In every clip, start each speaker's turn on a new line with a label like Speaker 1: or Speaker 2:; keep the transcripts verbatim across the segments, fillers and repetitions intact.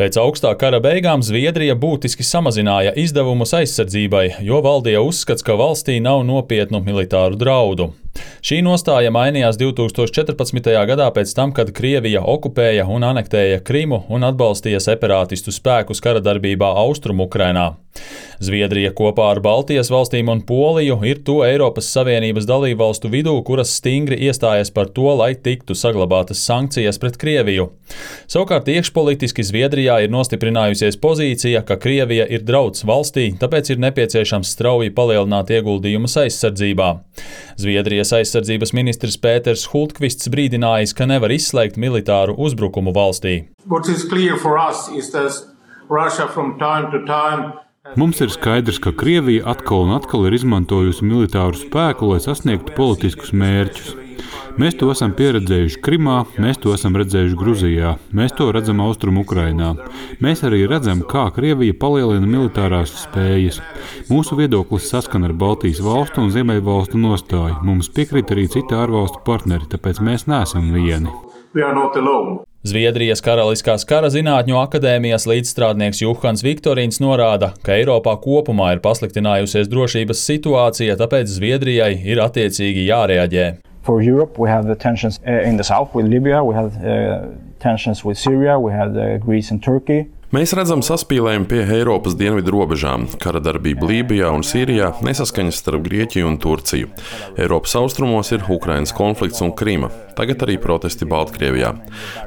Speaker 1: Pēc augstā kara beigām Zviedrija būtiski samazināja izdevumus aizsardzībai, jo valdīja uzskats, ka valstī nav nopietnu militāru draudu. Šī nostāja mainījās divi tūkstoši četrpadsmitajā gadā pēc tam, kad Krievija okupēja un anektēja Krimu un atbalstīja separātistu spēkus kara darbībā Austrumu-Ukrainā. Zviedrija kopā ar Baltijas valstīm un Poliju ir to Eiropas Savienības dalībvalstu vidū, kuras stingri iestājas par to, lai tiktu saglabātas sankcijas pret Krieviju. Savukārt iekšpolitiski Zviedrijā ir nostiprinājusies pozīcija, ka Krievija ir drauds valstī, tāpēc ir nepieciešams strauji palielināt ieguldījumus aizsardzībā. Zviedrijas aizsardzības ministrs Pēters Hultqvists brīdinājis, ka nevar izslēgt militāru uzbrukumu valstī.
Speaker 2: Mums ir skaidrs, ka Krievija atkal un atkal ir izmantojusi militāru spēku, lai sasniegtu politiskus mērķus. Mēs to esam pieredzējuši Krimā, mēs to esam redzējuši Gruzijā, mēs to redzam Austrumu-Ukrainā. Mēs arī redzam, kā Krievija palielina militārās spējas. Mūsu viedoklis saskan ar Baltijas valstu un Ziemeļvalstu nostāju. Mums piekrīt arī citi ārvalstu partneri, tāpēc mēs neesam vieni.
Speaker 1: Zviedrijas Karaliskās kara zinātņu akadēmijas līdzstrādnieks Juhans Viktorīns norāda, ka Eiropā kopumā ir pasliktinājusies drošības situācija, tāpēc Zviedrijai ir attiecīgi jārēģē.
Speaker 3: For Europe, we have the tensions in the south with Libya, we have uh, tensions with Syria, we have uh, Greece and Turkey.
Speaker 4: Mēs redzam saspīlējumu pie Eiropas dienvidu robežām, kara darbība Lībijā un Sīrijā, nesaskaņas starp Grieķiju un Turciju. Eiropas austrumos ir Ukrainas konflikts un Krima, tagad arī protesti Baltkrievijā.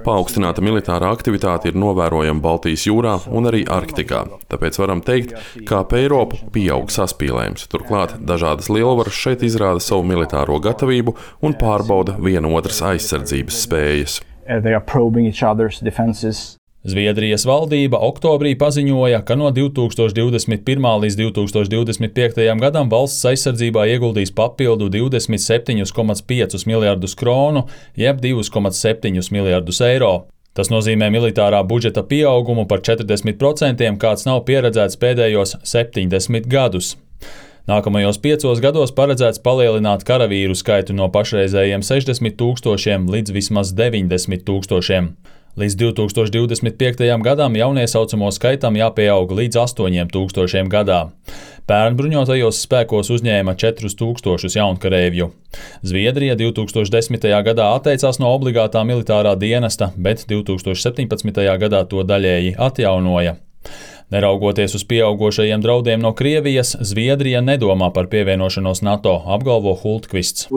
Speaker 4: Paaugstināta militārā aktivitāte ir novērojama Baltijas jūrā un arī Arktikā, tāpēc varam teikt, ka ap Eiropu pieaug saspīlējums. Turklāt dažādas lielvaras šeit izrāda savu militāro gatavību un pārbauda viena otras aizsardzības spējas.
Speaker 3: They are probing each other's defenses.
Speaker 1: Zviedrijas valdība oktobrī paziņoja, ka no divi tūkstoši divdesmit pirmā līdz divi tūkstoši divdesmit piektajam gadam valsts aizsardzībā ieguldīs papildu divdesmit septiņus komats piecus miljardus kronu, jeb divus komats septiņus miljardus eiro. Tas nozīmē militārā budžeta pieaugumu par četrdesmit procentiem, kāds nav pieredzēts pēdējos septiņdesmit gadus. Nākamajos piecos gados paredzēts palielināt karavīru skaitu no pašreizējiem sešdesmit tūkstošiem līdz vismaz deviņdesmit tūkstošiem. Līdz divi tūkstoši divdesmit piektajam gadam jauniesaucamo skaitam jāpieaug līdz astoņiem tūkstošiem gadā. Pērn bruņotajos spēkos uzņēma četrus tūkstošus jaunkarēvju. Zviedrija divi tūkstoši desmitajā gadā atteicās no obligātā militārā dienesta, bet divi tūkstoši septiņpadsmitajā gadā to daļēji atjaunoja. Neraugoties uz pieaugošajiem draudiem no Krievijas, Zviedrija nedomā par pievienošanos NATO, apgalvo Hultqvists.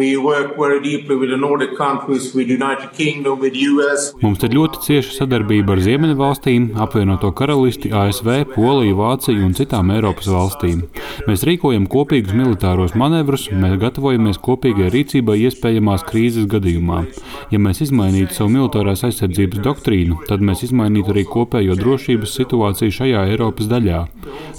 Speaker 2: Mums ir ļoti cieša sadarbība ar Ziemeļvalstīm, apvienoto karalisti, A S V, Poliju, Vāciju un citām Eiropas valstīm. Mēs rīkojam kopīgus militāros manevrus, mēs gatavojamies kopīgai rīcībai iespējamās krīzes gadījumā. Ja mēs izmainītu savu militārās aizsardzības doktrīnu, tad mēs izmainītu arī kopējo drošības situāciju šajā Eiropas daļā.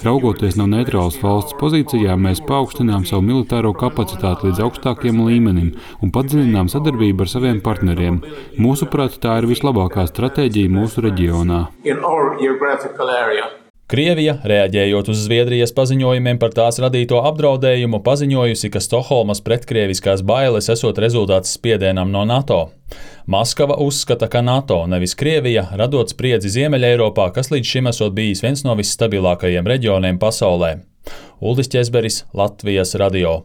Speaker 2: Raugoties no neitrālas valsts pozīcijā, mēs paaugstinām savu militāro kapacitāti līdz augstākiem līmenim un padziļinām sadarbību ar saviem partneriem. Mūsuprāt, tā ir vislabākā stratēģija mūsu reģionā.
Speaker 1: Krievija, reaģējot uz Zviedrijas paziņojumiem par tās radīto apdraudējumu, paziņojusi, ka Stokholmas pretkrieviskās bailes esot rezultāts spiedienam no NATO. Maskava uzskata, ka NATO, nevis Krievija, radot spriedzi Ziemeļeiropā, kas līdz šim esot bijis viens no visstabilākajiem reģioniem pasaulē. Uldis Ķezberis, Latvijas radio.